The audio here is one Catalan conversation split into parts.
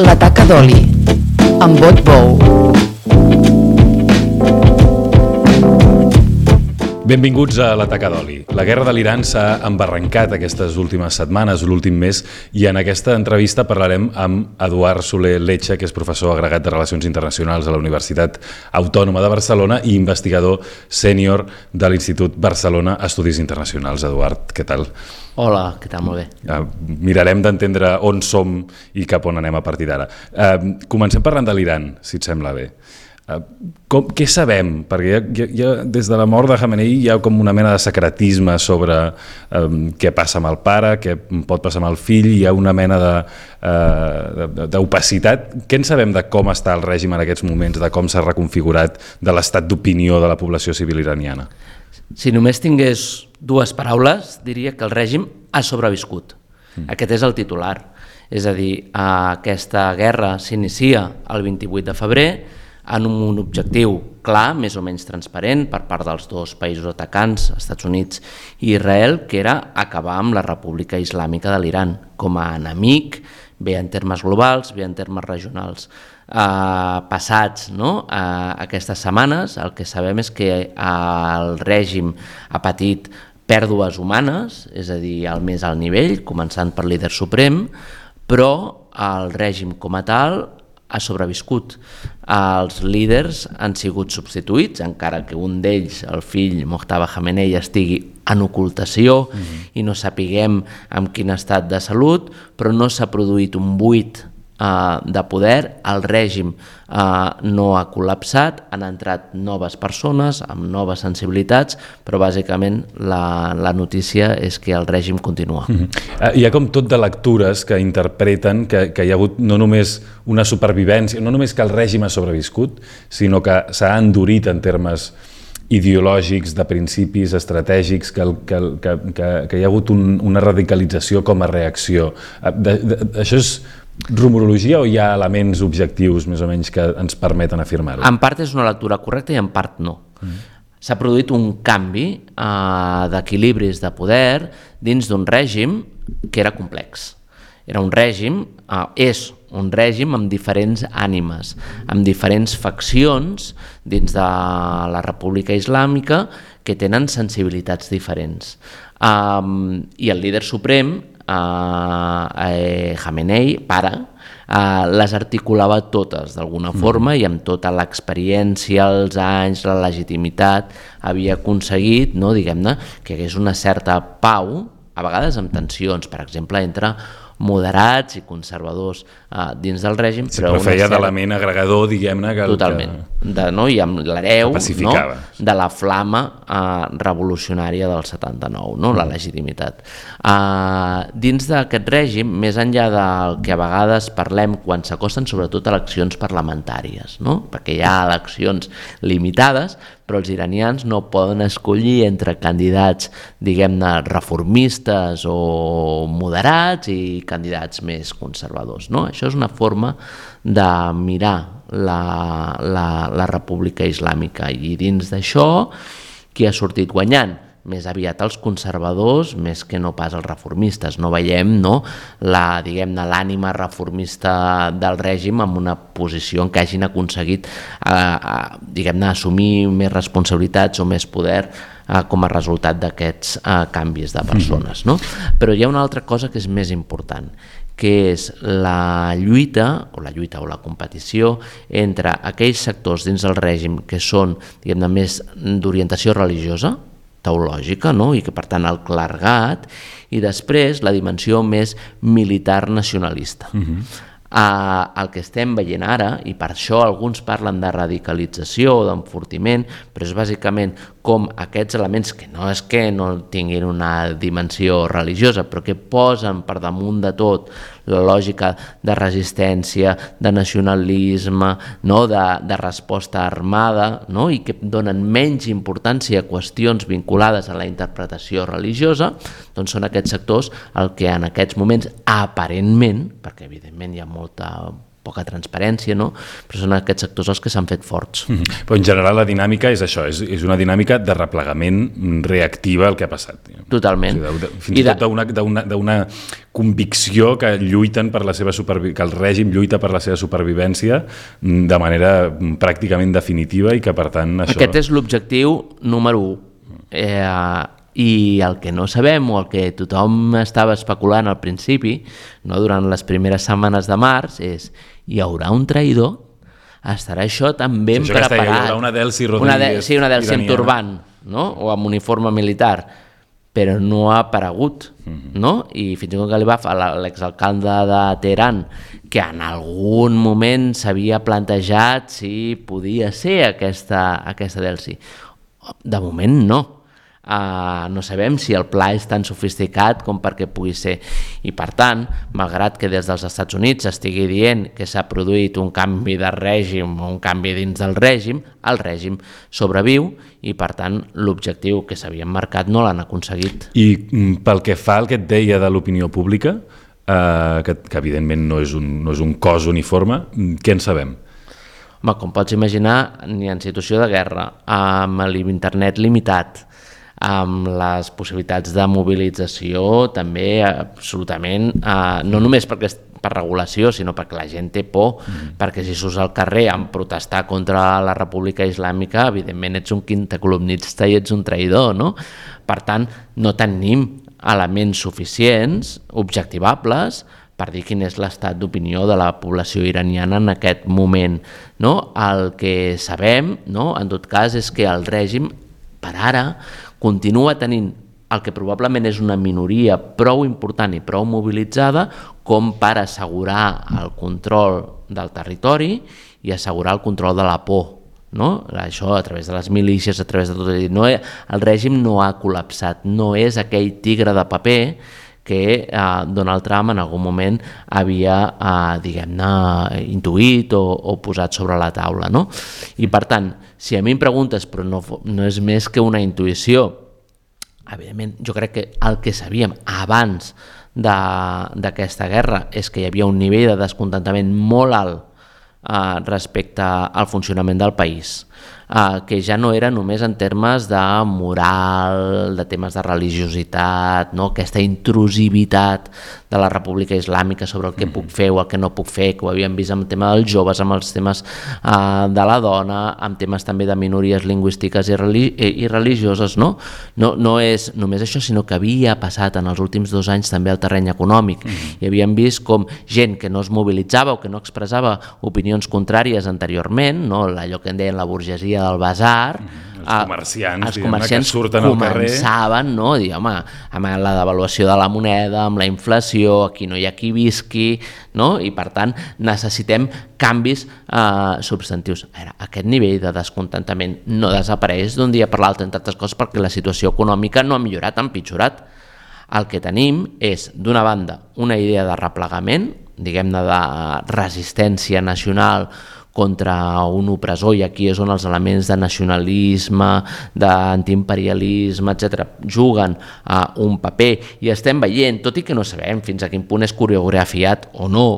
La taca d'oli, amb Bot Bou. Benvinguts a La taca d'oli. La guerra de l'Iran s'ha embarrancat aquestes últimes setmanes, l'últim mes, i en aquesta entrevista parlarem amb Eduard Soler Lecha, que és professor agregat de Relacions Internacionals a la Universitat Autònoma de Barcelona i investigador sènior de l'Institut Barcelona Estudis Internacionals. Eduard, què tal? Hola, què tal? Molt bé. Mirarem d'entendre on som i cap on anem a partir d'ara. Comencem parlant de l'Iran, si et sembla bé. Què sabem? Perquè des de la mort de Khamenei hi ha com una mena de secretisme sobre què passa amb el pare, què pot passar amb el fill, hi ha una mena d'opacitat. Què en sabem de com està el règim en aquests moments, de com s'ha reconfigurat, de l'estat d'opinió de la població civil iraniana? Si només tingués dues paraules, diria que el règim ha sobreviscut. Aquest és el titular. És a dir, aquesta guerra s'inicia el 28 de febrer en un objectiu clar, més o menys transparent, per part dels dos països atacants, Estats Units i Israel, que era acabar amb la República Islàmica de l'Iran com a enemic, bé en termes globals, bé en termes regionals. Passats aquestes setmanes, el que sabem és que el règim ha patit pèrdues humanes, és a dir, al més alt nivell, començant per líder suprem, però el règim com a tal ha sobreviscut. Els líders han sigut substituïts, encara que un d'ells, el fill Mojtaba Khamenei, estigui en ocultació i no sapiguem en quin estat de salut, però no s'ha produït un buit de poder, el règim no ha col·lapsat, han entrat noves persones amb noves sensibilitats, però bàsicament la notícia és que el règim continua. Hi ha com tot de lectures que interpreten que hi ha hagut no només una supervivència, no només que el règim ha sobreviscut, sinó que s'ha endurit en termes ideològics, de principis estratègics, que hi ha hagut una radicalització com a reacció. Això és rumorologia o hi ha elements objectius més o menys que ens permeten afirmar-ho? En part és una lectura correcta i en part no. S'ha produït un canvi d'equilibris de poder dins d'un règim que era complex. Era un règim, és un règim amb diferents ànimes, amb diferents faccions dins de la República Islàmica que tenen sensibilitats diferents. I el líder suprem, Khamenei, pare, les articulava totes d'alguna forma i amb tota l'experiència, els anys, la legitimitat, havia aconseguit, diguem-ne, que hi hagués una certa pau, a vegades amb tensions, per exemple, entre moderats i conservadors dins del règim. Sí, però feia d'element agregador, diguem-ne. Totalment. I amb l'hereu de la flama revolucionària del 79, la legitimitat. Dins d'aquest règim, més enllà del que a vegades parlem quan s'acosten sobretot eleccions parlamentàries, perquè hi ha eleccions limitades, però els iranians no poden escollir entre candidats, diguem-ne, reformistes o moderats i candidats més conservadors. Això és una forma de mirar la República Islàmica i dins d'això qui ha sortit guanyant? Més aviat els conservadors més que no pas els reformistes. No veiem l'ànima reformista del règim en una posició en què hagin aconseguit assumir més responsabilitats o més poder com a resultat d'aquests canvis de persones. Però hi ha una altra cosa que és més important, que és la lluita o la competició entre aquells sectors dins del règim que són, diguem-ne, més d'orientació religiosa, teològica, i que per tant el clergat, i després la dimensió més militar nacionalista. El que estem veient ara, i per això alguns parlen de radicalització o d'enfortiment, però és bàsicament com aquests elements que no és que no tinguin una dimensió religiosa, però que posen per damunt de tot la lògica de resistència, de nacionalisme, de resposta armada, i que donen menys importància a qüestions vinculades a la interpretació religiosa, doncs són aquests sectors el que en aquests moments aparentment, perquè evidentment hi ha molta poca transparència, no? Però són aquests sectors els que s'han fet forts. Però en general la dinàmica és això, és una dinàmica de replegament reactiva al que ha passat. Totalment. O sigui, fins i tot d'una convicció que lluiten per la seva que el règim lluita per la seva supervivència de manera pràcticament definitiva i que per tant això... Aquest és l'objectiu número 1. I el que no sabem o el que tothom estava especulant al principi, no, durant les primeres setmanes de març, és: hi haurà un traïdor? Estarà això tan ben preparat? Hi haurà una Delcy Rodríguez una Delcy amb turbant, no? O amb uniforme militar, però no ha aparegut, no? I fins i tot que li va fer l'exalcalde de Teheran, que en algun moment s'havia plantejat si podia ser aquesta Delcy. De moment no. No sabem si el pla és tan sofisticat com perquè pugui ser, i per tant, malgrat que des dels Estats Units estigui dient que s'ha produït un canvi de règim o un canvi dins del règim, el règim sobreviu i per tant l'objectiu que s'havien marcat no l'han aconseguit. I pel que fa al que et deia de l'opinió pública, que evidentment no és un cos uniforme, què en sabem? Home, com pots imaginar, ni en situació de guerra, amb l'internet limitat, amb les possibilitats de mobilització també absolutament, no només per regulació, sinó perquè la gent té por, perquè si surts al carrer a protestar contra la República Islàmica, evidentment ets un quintacolumnista i ets un traïdor, no? Per tant, no tenim elements suficients, objectivables, per dir quin és l'estat d'opinió de la població iraniana en aquest moment, no? El que sabem, no, en tot cas, és que el règim, per ara, continua tenint el que probablement és una minoria prou important i prou mobilitzada com per assegurar el control del territori i assegurar el control de la por, no? Això a través de les milícies, a través de tot. No, el règim no ha col·lapsat, no és aquell tigre de paper que Donald Trump en algun moment havia, diguem-ne, intuït o posat sobre la taula, no? I per tant, si a mi em preguntes, però no és més que una intuïció, evidentment jo crec que el que sabíem abans d'aquesta guerra és que hi havia un nivell de descontentament molt alt respecte al funcionament del país, que ja no era només en termes de moral, de temes de religiositat, no? Aquesta intrusivitat de la República Islàmica sobre el que puc fer o el que no puc fer, que ho havíem vist amb el tema dels joves, amb els temes de la dona, amb temes també de minories lingüístiques i religioses, no? No és només això, sinó que havia passat en els últims 2 anys també al terreny econòmic, i havíem vist com gent que no es mobilitzava o que no expressava opinions contràries anteriorment, no? Allò que en deien la burgesia del basar, els comerciants que surten al carrer començaven, no? Dir, home, amb la devaluació de la moneda, amb la inflació, aquí no hi ha qui visqui, no? I per tant necessitem canvis substantius. Aquest nivell de descontentament no desapareix d'un dia per l'altre, entre altres coses perquè la situació econòmica no ha millorat, ha empitjorat. El que tenim és, d'una banda, una idea de replegament, diguem-ne de resistència nacional contra un opressor, i aquí és on els elements de nacionalisme, d'antiimperialisme, etc., juguen un paper, i estem veient, tot i que no sabem fins a quin punt és coreografiat o no,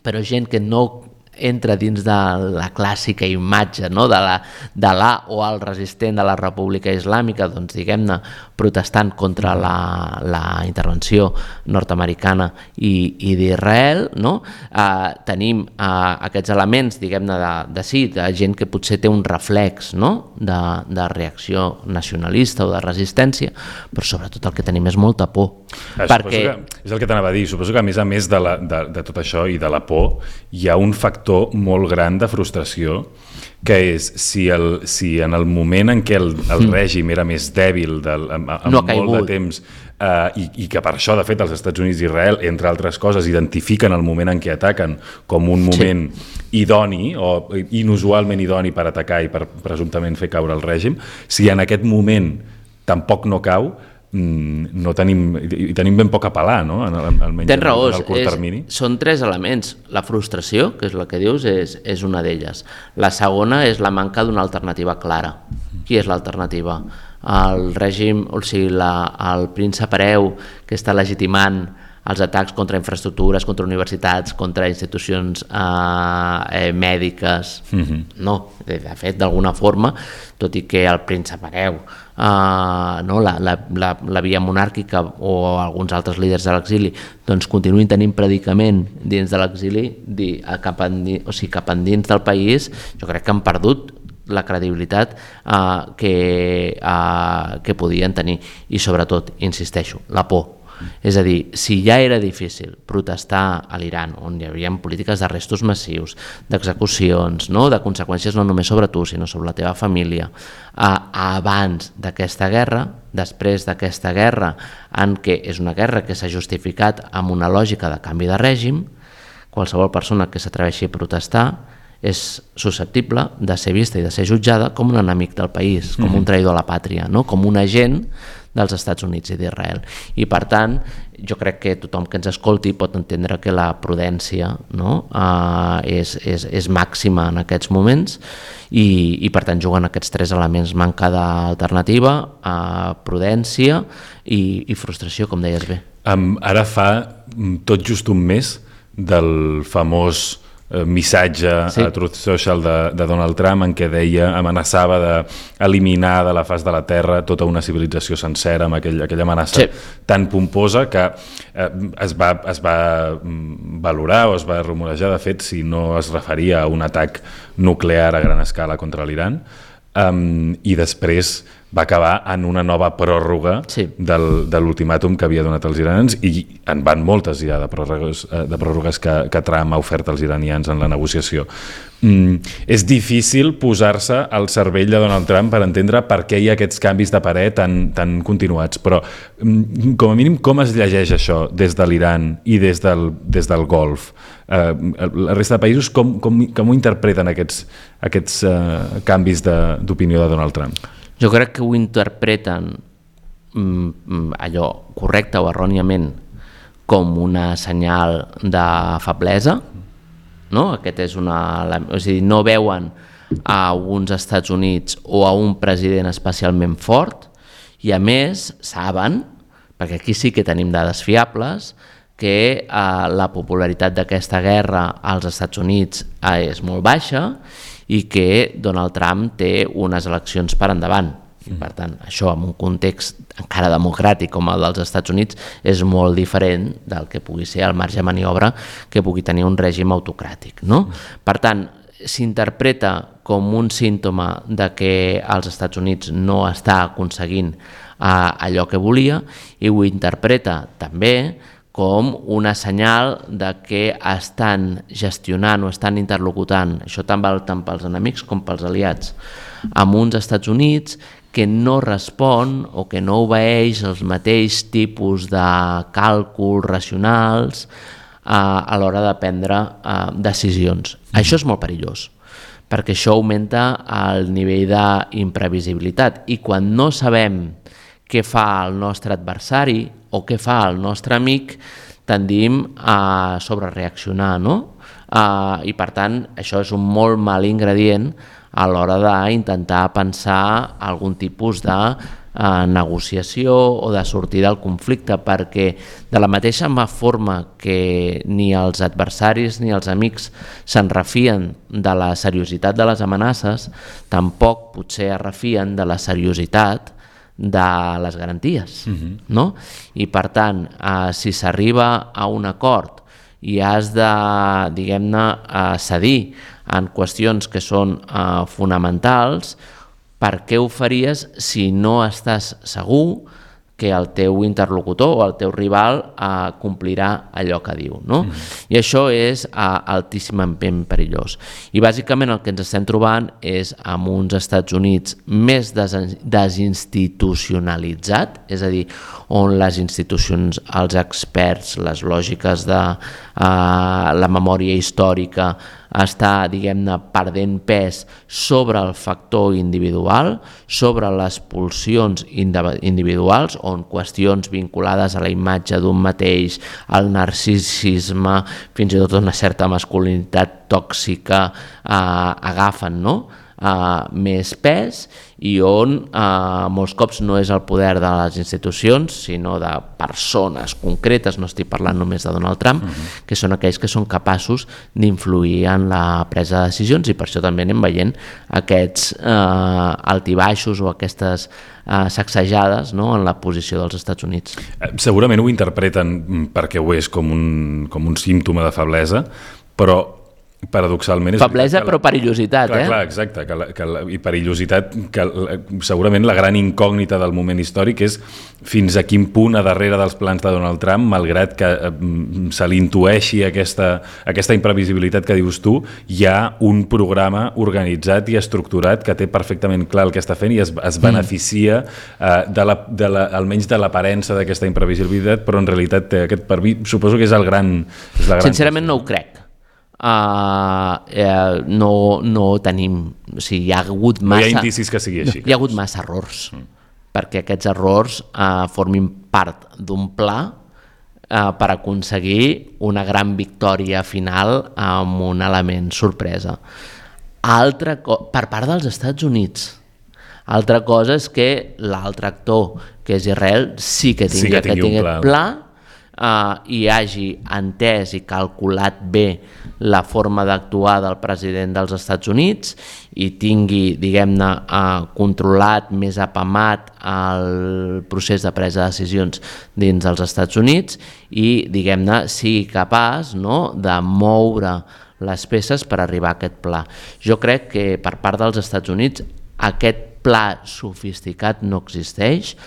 però gent que no entra dins de la clàssica imatge, no? de la o el resistent de la República Islàmica, doncs diguem-ne, protestant contra la intervenció nord-americana i d'Israel, no? Tenim aquests elements, diguem-ne, de gent que potser té un reflex, no? de reacció nacionalista o de resistència, però sobretot el que tenim és molta por. Perquè... És el que t'anava a dir, suposo que a més de tot això i de la por, hi ha un factor molt gran de frustració, que és si en el moment en què el règim era més dèbil amb molt de temps, i que per això de fet els Estats Units i Israel, entre altres coses, identifiquen el moment en què ataquen com un moment idoni o inusualment idoni per atacar i per presumptament fer caure el règim, si en aquest moment tampoc no cau, tenim ben poc a pelar, no? Almenys tens raó, en el curt termini. Són 3 elements. La frustració, que és la que dius, és una d'elles. La segona és la manca d'una alternativa clara. Qui és l'alternativa? El règim, o sigui, el príncep hereu que està legitimant els atacs contra infraestructures, contra universitats, contra institucions mèdiques. No, de fet, d'alguna forma, tot i que el príncep hereu, la via monàrquica o alguns altres líders de l'exili doncs continuïn tenint predicament dins de l'exili, cap endins del país, jo crec que han perdut la credibilitat que podien tenir, i sobretot, insisteixo, la por. És a dir, si ja era difícil protestar a l'Iran, on hi havia polítiques d'arrestos massius, d'execucions, de conseqüències no només sobre tu, sinó sobre la teva família, abans d'aquesta guerra, després d'aquesta guerra, en què és una guerra que s'ha justificat amb una lògica de canvi de règim, qualsevol persona que s'atreveixi a protestar és susceptible de ser vista i de ser jutjada com un enemic del país, com un traïdor a la pàtria, com un agent dels Estats Units i d'Israel. I per tant, jo crec que tothom que ens escolti pot entendre que la prudència és màxima en aquests moments i per tant juguen aquests tres elements: manca d'alternativa, prudència i frustració, com deies bé. Ara fa tot just un mes del famós missatge a Truth Social de Donald Trump, en què deia, amenaçava d'eliminar de la faç de la Terra tota una civilització sencera, amb aquella amenaça tan pomposa que es va valorar o es va rumorejar, de fet, si no es referia a un atac nuclear a gran escala contra l'Iran, i després va acabar en una nova pròrroga de l'ultimàtum que havia donat als iranians, i en van moltes ja de pròrrogues que Trump ha ofert als iranians en la negociació. És difícil posar-se al cervell de Donald Trump per entendre per què hi ha aquests canvis de parer tan continuats, però com a mínim com es llegeix això des de l'Iran i des del Golf? La resta de països com ho interpreten aquests canvis d'opinió de Donald Trump? Jo crec que ho interpreten allò correcte o erròniament com una senyal de feblesa, no? Aquest és és a dir, no veuen a uns Estats Units o a un president especialment fort, i a més saben, perquè aquí sí que tenim dades fiables, que la popularitat d'aquesta guerra als Estats Units és molt baixa i que Donald Trump té unes eleccions per endavant. I per tant, això en un context encara democràtic com el dels Estats Units és molt diferent del que pugui ser el marge de maniobra que pugui tenir un règim autocràtic, no? Per tant, s'interpreta com un símptoma de que els Estats Units no està aconseguint allò que volia, i ho interpreta també com una senyal de que estan gestionant o estan interlocutant, això tant val tant pels enemics com pels aliats, amb uns Estats Units que no respon o que no obeeix els mateixos tipus de càlculs racionals a l'hora de prendre decisions. Això és molt perillós, perquè això augmenta el nivell d'imprevisibilitat, i quan no sabem què fa el nostre adversari o què fa el nostre amic, tendim a sobrereaccionar, no? I per tant, això és un molt mal ingredient a l'hora d'intentar pensar algun tipus de negociació o de sortir del conflicte, perquè de la mateixa forma que ni els adversaris ni els amics se'n refien de la seriositat de les amenaces, tampoc potser es refien de la seriositat de les garanties, no? I per tant, si s'arriba a un acord i has de, diguem-ne, cedir en qüestions que són fonamentals, per què ho faries si no estàs segur que el teu interlocutor o el teu rival complirà allò que diu, no? I això és altíssimament perillós. I bàsicament el que ens estem trobant és amb uns Estats Units més desinstitucionalitzat, és a dir, on les institucions, els experts, les lògiques de la memòria històrica està, diguem-ne, perdent pes sobre el factor individual, sobre les pulsions individuals, on qüestions vinculades a la imatge d'un mateix, al narcisisme, fins i tot una certa masculinitat tòxica agafen, no? més pes i on molts cops no és el poder de les institucions, sinó de persones concretes, no estic parlant només de Donald Trump, que són aquells que són capaços d'influir en la presa de decisions, i per això també anem veient aquests altibaixos o aquestes sacsejades, no?, en la posició dels Estats Units. Segurament ho interpreten perquè ho és com un símptoma de feblesa, però paradoxalment... Feblesa però perillositat, Clar, exacte, i perillositat, que segurament la gran incògnita del moment històric és fins a quin punt a darrere dels plans de Donald Trump, malgrat que se li intueixi aquesta imprevisibilitat que dius tu, hi ha un programa organitzat i estructurat que té perfectament clar el que està fent i es beneficia almenys de l'aparença d'aquesta imprevisibilitat, però en realitat té aquest suposo que és la gran... Sincerament no ho crec. No tenim, o sigui, hi ha hagut massa... No hi ha indicis que sigui així. Hi ha hagut massa errors, perquè aquests errors formin part d'un pla per aconseguir una gran victòria final amb un element sorpresa. Per part dels Estats Units. Altra cosa és que l'altre actor, que és Israel, sí que tingui aquest pla i hagi entès i calculat bé la forma d'actuar del president dels Estats Units i tingui, diguem-ne, controlat, més apamat el procés de presa de decisions dins dels Estats Units i, diguem-ne, sigui capaç, no?, de moure les peces per arribar a aquest pla. Jo crec que per part dels Estats Units aquest pla sofisticat no existeix,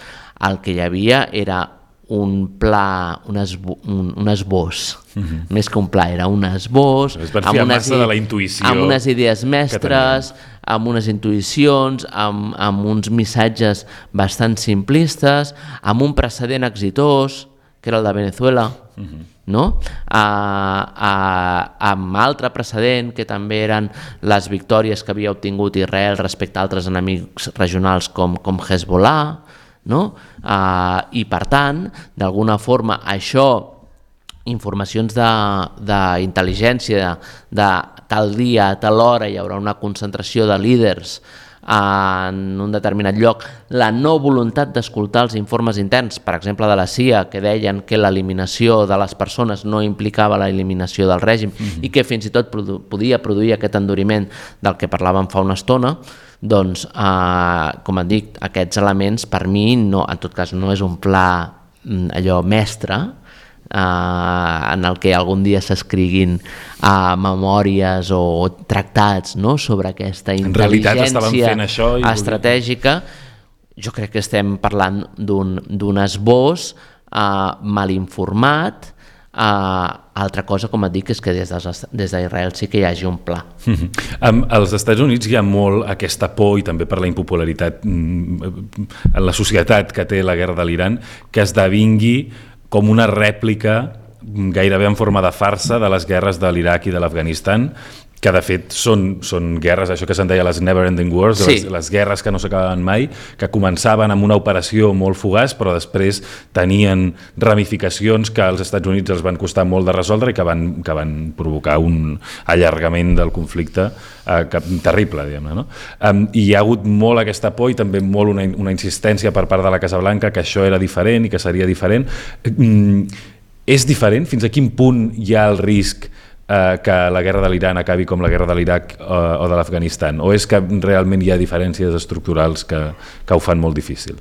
el que hi havia era un pla, un esbós, més que un pla, era un esbós, amb unes idees mestres, amb unes intuïcions, amb uns missatges bastant simplistes, amb un precedent exitós, que era el de Venezuela, no? Amb altre precedent, que també eren les victòries que havia obtingut Israel respecte a altres enemics regionals com Hezbollah, no? I per tant, d'alguna forma, això, informacions d'intel·ligència, de tal dia, a tal hora hi haurà una concentració de líders en un determinat lloc, la no voluntat d'escoltar els informes interns, per exemple de la CIA, que deien que l'eliminació de les persones no implicava l'eliminació del règim i que fins i tot podia produir aquest enduriment del que parlàvem fa una estona, doncs, com et dic, aquests elements per mi, no, en tot cas no és un pla allò mestre, en el que algun dia s'escriguin memòries o tractats, no?, sobre aquesta intel·ligència estratègica. Jo crec que estem parlant d'un esbós mal informat. Altra cosa, com et dic, és que des d'Israel sí que hi hagi un pla. Als Estats Units hi ha molt aquesta por, i també per la impopularitat en la societat que té la guerra de l'Iran, que esdevingui com una rèplica gairebé en forma de farsa de les guerres de l'Iraq i de l'Afganistan, que de fet són guerres, això que se'n deia les never ending wars, les guerres que no s'acabaven mai, que començaven amb una operació molt fugaç, però després tenien ramificacions que als Estats Units els van costar molt de resoldre i que van provocar un allargament del conflicte terrible, diguem-ne, no? I hi ha hagut molt aquesta por i també molt una insistència per part de la Casa Blanca que això era diferent i que seria diferent. És diferent? Fins a quin punt hi ha el risc que la guerra de l'Iran acabi com la guerra de l'Iraq o de l'Afganistan? O és que realment hi ha diferències estructurals que ho fan molt difícil?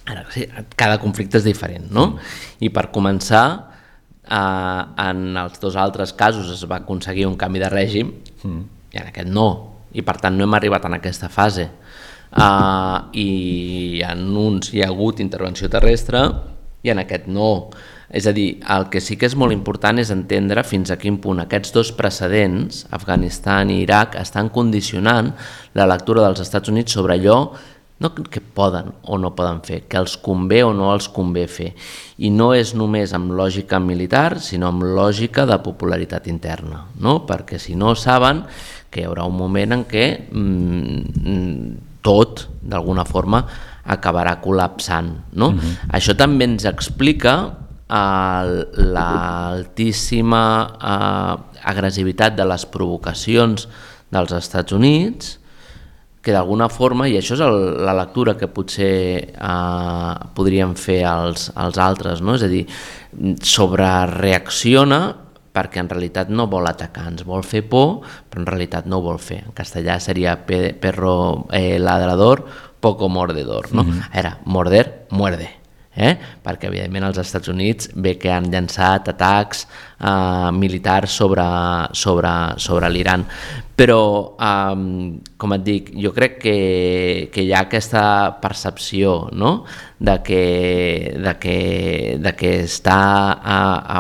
Ara, sí, cada conflicte és diferent, no? I per començar, en els dos altres casos es va aconseguir un canvi de règim i en aquest no, i per tant no hem arribat en aquesta fase. I en uns hi ha hagut intervenció terrestre i en aquest no. És a dir, el que sí que és molt important és entendre fins a quin punt aquests dos precedents, Afganistan i Iraq, estan condicionant la lectura dels Estats Units sobre allò no que poden o no poden fer, que els convé o no els convé fer. I no és només amb lògica militar, sinó amb lògica de popularitat interna, no? Perquè si no saben que hi haurà un moment en què tot, d'alguna forma, acabarà col·lapsant, no? Això també ens explica l'altíssima agressivitat de les provocacions dels Estats Units que d'alguna forma, i això és la lectura que potser podríem fer els altres, no? És a dir, sobrereacciona perquè en realitat no vol atacar, ens vol fer por, però en realitat no ho vol fer. En castellà seria perro ladrador, poco mordedor, no? Era morder, muerde. Perquè evidentment als Estats Units ve que han llançat atacs militars sobre l'Iran, però com et dic, jo crec que hi ha aquesta percepció, no? de que està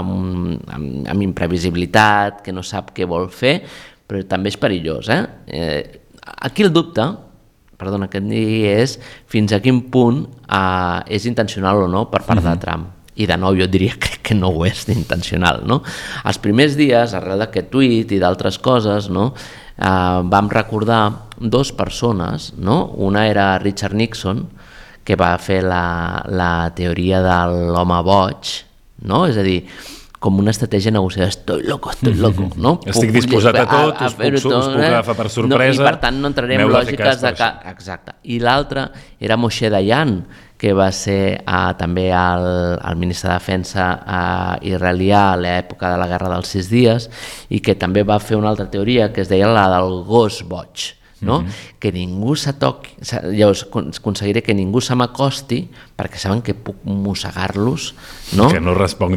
amb imprevisibilitat, que no sap què vol fer, però també és perillós. Aquí el dubte, perdona, que et digui, és fins a quin punt és intencional o no per part de Trump. I de nou jo diria que no ho és intencional. No? Els primers dies, arrel d'aquest tuit i d'altres coses, no, vam recordar dues persones. No? Una era Richard Nixon, que va fer la teoria de l'home boig, no? És a dir, com una estratègia negociada, estoy loco, no? Estic disposat a tot, us puc agafar per sorpresa, i per tant no entrarem en lògiques de que... Exacte. I l'altre era Moshe Dayan, que va ser també el ministre de Defensa israelià a l'època de la Guerra dels 6 dies, i que també va fer una altra teoria que es deia la del gos boig, no? Que ningú s'atoqui, llavors aconseguiré que ningú se m'acosti perquè saben que puc mossegar-los, no? Que no responc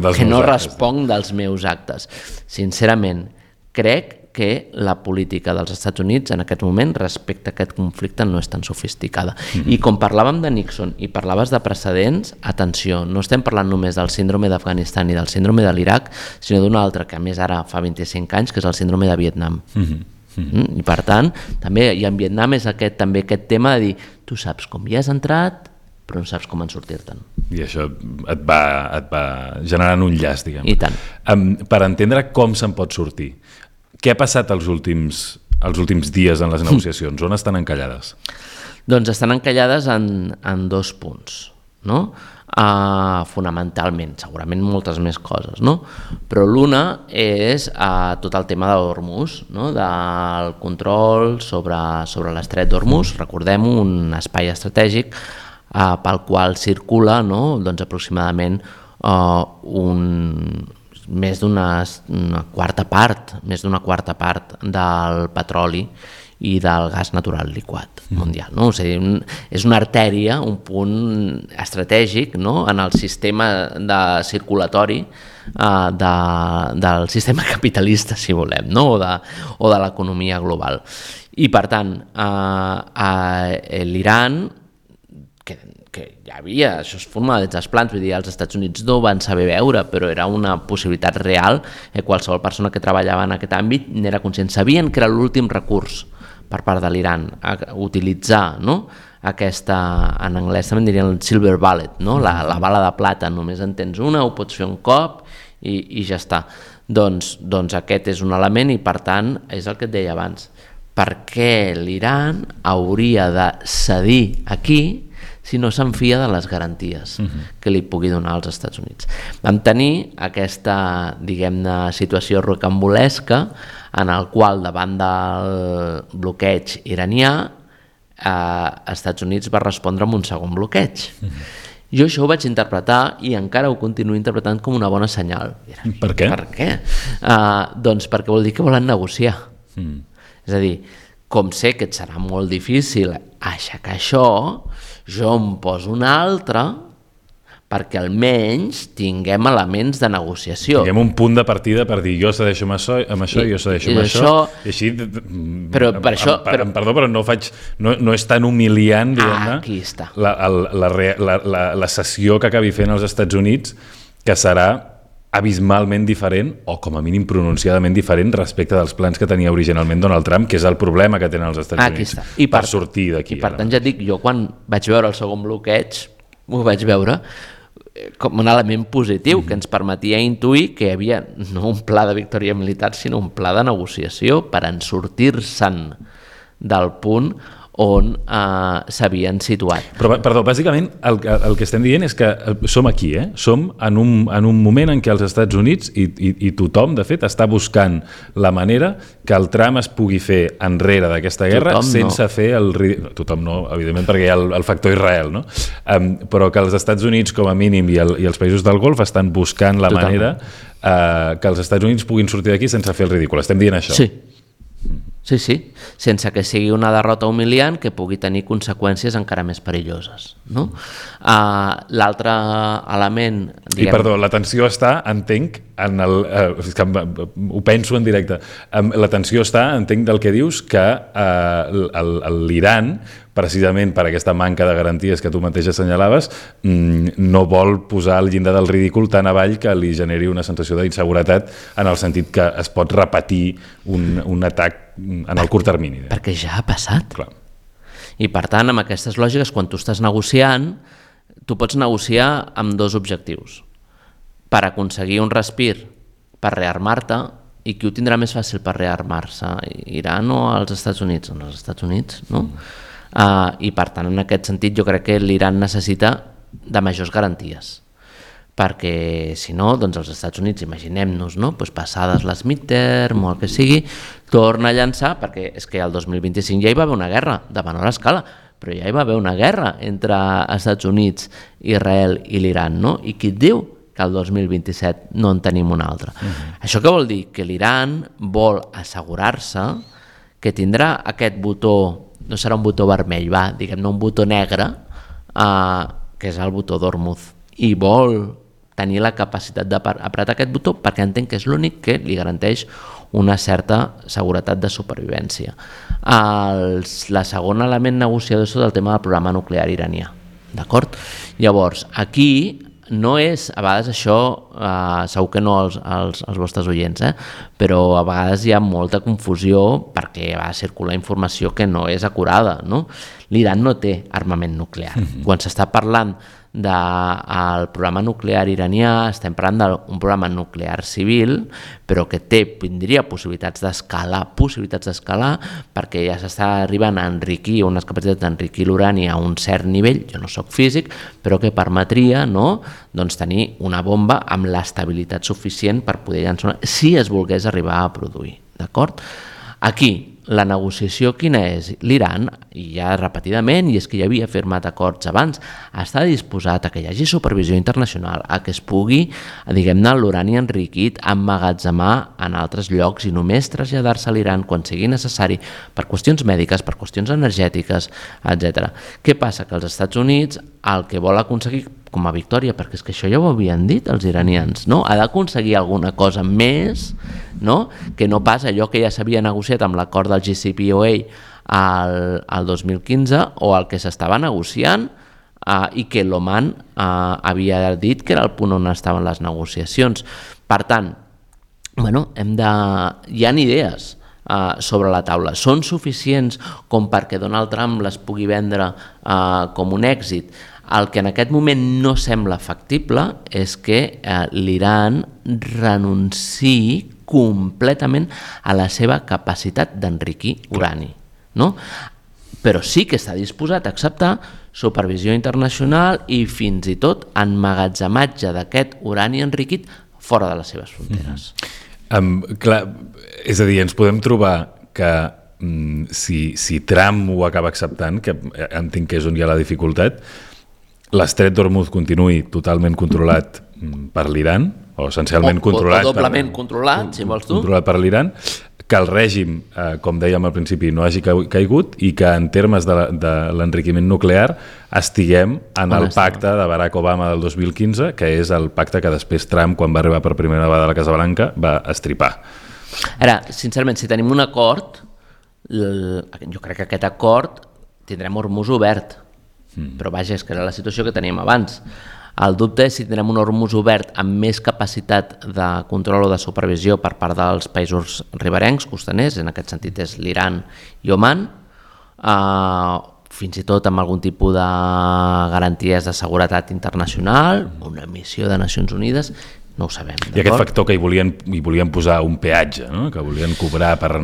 dels meus actes. Sincerament, crec que la política dels Estats Units en aquest moment respecte a aquest conflicte no és tan sofisticada. I com parlàvem de Nixon i parlaves de precedents, atenció, no estem parlant només del síndrome d'Afganistan i del síndrome de l'Iraq, sinó d'un altre que a més ara fa 25 anys, que és el síndrome de Vietnam. I per tant, també, i en Vietnam és aquest tema de dir, tu saps com hi has entrat, però no saps com en sortir-te'n. I això et va generant un llaç, diguem. I tant. Per entendre com se'n pot sortir, què ha passat els últims dies en les negociacions? On estan encallades? Doncs estan encallades en 2 punts, no? Fonamentalment, segurament moltes més coses, no? Però l'una és tot el tema de Hormuz, no? Del control sobre l'estret d'Hormuz, recordem un espai estratègic pel qual circula, no? Doncs aproximadament més d'una quarta part del petroli i del gas natural liquat mundial, no? O sigui, és una artèria, un punt estratègic, no? En el sistema circulatori del sistema capitalista, si volem, no? O de l'economia global. I per tant, l'Iran, que ja havia, això es formava des dels plans, vull dir, els Estats Units no ho van saber veure, però era una possibilitat real, qualsevol persona que treballava en aquest àmbit n'era conscient, sabien que era l'últim recurs per part de l'Iran, utilitzar, no? Aquesta, en anglès també dirien el silver bullet, no? La bala de plata, només en tens una, ho pots fer un cop i ja està. Doncs aquest és un element i per tant és el que et deia abans, per què l'Iran hauria de cedir aquí si no s'enfia de les garanties que li pugui donar als Estats Units. Vam tenir aquesta, diguem-ne, situació rocambolesca en el qual davant del bloqueig iranià Estats Units va respondre amb un segon bloqueig. Jo això ho vaig interpretar i encara ho continuo interpretant com una bona senyal. Per què? Per què? Doncs perquè vol dir que volen negociar. És a dir, com sé que et serà molt difícil aixecar això, jo em poso un altre perquè almenys tinguem elements de negociació. Tinguem un punt de partida per dir jo cedeixo amb això, jo cedeixo amb això, i així, perdó, però no és tan humiliant, diguem-ne, aquí està. La cessió que acabi fent els Estats Units, que serà abismalment diferent, o com a mínim pronunciadament diferent respecte dels plans que tenia originalment Donald Trump, que és el problema que tenen els Estats Units per sortir d'aquí. I per tant ja et dic, jo quan vaig veure el segon bloqueig, ho vaig veure com un element positiu que ens permetia intuir que hi havia no un pla de victòria militar, sinó un pla de negociació per en sortir-se'n del punt on s'havien situat. Però, perdó, bàsicament el que estem dient és que som aquí, som en un moment en què els Estats Units i tothom, de fet, està buscant la manera que el tram es pugui fer enrere d'aquesta guerra sense fer el ridícul. Tothom no, evidentment, perquè hi ha el factor Israel, no? Però que els Estats Units, com a mínim, i els països del Golf estan buscant la manera que els Estats Units puguin sortir d'aquí sense fer el ridícul. Estem dient això? Sí, sense que sigui una derrota humiliant que pugui tenir conseqüències encara més perilloses, no? L'altre element... I perdó, la tensió està, entenc, ho penso en directe, la tensió està, entenc del que dius, que l'Iran, precisament per aquesta manca de garanties que tu mateix assenyalaves, no vol posar el llindar del ridícul tan avall que li generi una sensació d'inseguretat en el sentit que es pot repetir un atac en el curt termini. Perquè ja ha passat. Clar. I per tant, amb aquestes lògiques, quan tu estàs negociant, tu pots negociar amb dos objectius. Per aconseguir un respir, per rearmar-te, i qui ho tindrà més fàcil per rearmar-se? Iran o els Estats Units? Els Estats Units, no? I per tant, en aquest sentit, jo crec que l'Iran necessita de majors garanties, perquè si no, doncs els Estats Units, imaginem-nos, no? Pues passades les midterm o el que sigui, torna a llançar, perquè és que el 2025 ja hi va haver una guerra de menor escala, però ja hi va haver una guerra entre Estats Units, Israel i l'Iran, no? I qui et diu que el 2027 no en tenim una altra? Això què vol dir? Que l'Iran vol assegurar-se que tindrà aquest botó, no serà un botó vermell, diguem-ne un botó negre, que és el botó d'Hormuz, i vol tenir la capacitat d'apretar aquest botó perquè entenc que és l'únic que li garanteix una certa seguretat de supervivència. El segon element negociador és el tema del programa nuclear iranià, d'acord? Llavors, aquí no és, a vegades això, segur que no als vostres oients, però a vegades hi ha molta confusió perquè va circular informació que no és acurada, no? L'Iran no té armament nuclear. Quan s'està parlant del programa nuclear iranià, estem parlant d'un programa nuclear civil, però que tindria possibilitats d'escalar, perquè ja s'està arribant a enriquir, unes capacitats d'enriquir l'urani a un cert nivell, jo no soc físic, però que permetria, no, doncs tenir una bomba amb l'estabilitat suficient per poder llançar si es volgués arribar a produir, d'acord? Aquí, la negociació quina és? L'Iran, i ja repetidament, i és que ja havia firmat acords abans, està disposat a que hi hagi supervisió internacional, a que es pugui, diguem-ne, l'urani enriquit emmagatzemar en altres llocs i només traslladar-se a l'Iran quan sigui necessari per qüestions mèdiques, per qüestions energètiques, etc. Què passa? Que els Estats Units el que vol aconseguir com a victòria, perquè és que això ja ho havien dit els iranians, no? Ha d'aconseguir alguna cosa més, no? Que no pas allò que ja s'havia negociat amb l'acord del JCPOA al 2015 o el que s'estava negociant i que l'Oman havia dit que era el punt on estaven les negociacions. Per tant, hi ha idees sobre la taula. Són suficients com perquè Donald Trump les pugui vendre com un èxit? El que en aquest moment no sembla factible és que l'Iran renunciï completament a la seva capacitat d'enriquir urani, no? Però sí que està disposat a acceptar supervisió internacional i fins i tot emmagatzematge d'aquest urani enriquit fora de les seves fronteres. Clar, és a dir, ens podem trobar que si Trump ho acaba acceptant, que entenc que és on hi ha la dificultat, l'estret d'Hormuz continuï totalment controlat per l'Iran, o essencialment controlat... O doblement controlat, si vols tu. Controlat per l'Iran, que el règim, com dèiem al principi, no hagi caigut i que en termes de l'enriquiment nuclear estiguem en el pacte de Barack Obama del 2015, que és el pacte que després Trump, quan va arribar per primera vegada a la Casa Blanca, va estripar. Ara, sincerament, si tenim un acord, jo crec que aquest acord tindrem Hormuz obert, però vaja, és que era la situació que teníem abans. El dubte és si tindrem un Hormuz obert amb més capacitat de control o de supervisió per part dels països riberencs, costaners, en aquest sentit és l'Iran i Oman, fins i tot amb algun tipus de garanties de seguretat internacional, una missió de Nacions Unides, No ho sabem. I aquest factor que hi volien posar un peatge, no? Que volien cobrar per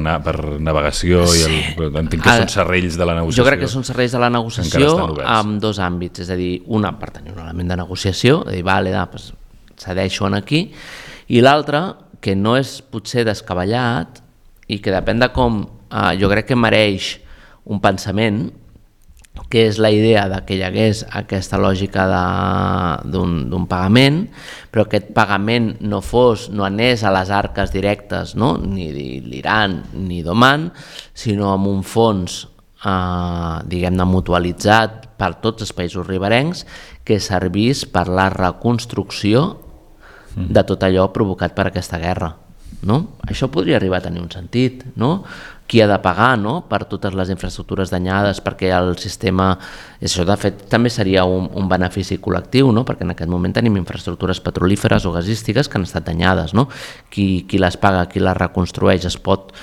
navegació, entenc que són serrells de la negociació. Jo crec que són serrells de la negociació amb dos àmbits, és a dir, una per tenir un element de negociació, de dir, vale, doncs cedeixo aquí, i l'altre, que no és potser descabellat i que depèn de com, jo crec que mereix un pensament, que és la idea de que hi hagués aquesta lògica d'un pagament, però aquest pagament no anés a les arques directes, no? Ni d'Iran ni d'Oman, sinó amb un fons diguem-ne mutualitzat per tots els països riberencs que servís per la reconstrucció de tot allò provocat per aquesta guerra. No? Això podria arribar a tenir un sentit, no? Qui ha de pagar, no? Per totes les infraestructures danyades, perquè el sistema... Això de fet també seria un benefici col·lectiu, no? Perquè en aquest moment tenim infraestructures petrolíferes o gasístiques que han estat danyades, no? Qui les paga, qui les reconstrueix, es pot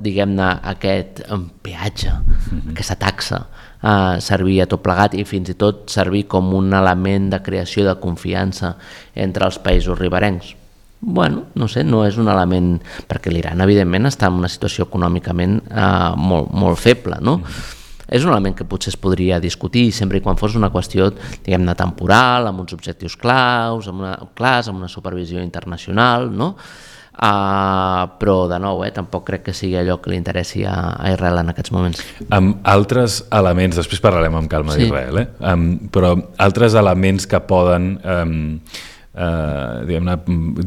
diguem-ne, aquest peatge, aquesta taxa, servir a tot plegat i fins i tot servir com un element de creació de confiança entre els països riberencs. Bueno, no sé, no és un element, perquè l'Iran evidentment està en una situació econòmicament molt feble, no? És un element que potser es podria discutir sempre i quan fos una qüestió, diguem-ne, temporal, amb uns objectius clars, amb una supervisió internacional, no? Però de nou, tampoc crec que sigui allò que li interessi a Israel en aquests moments. Amb altres elements, després parlarem amb calma d'Israel, però altres elements que poden diguem-ne,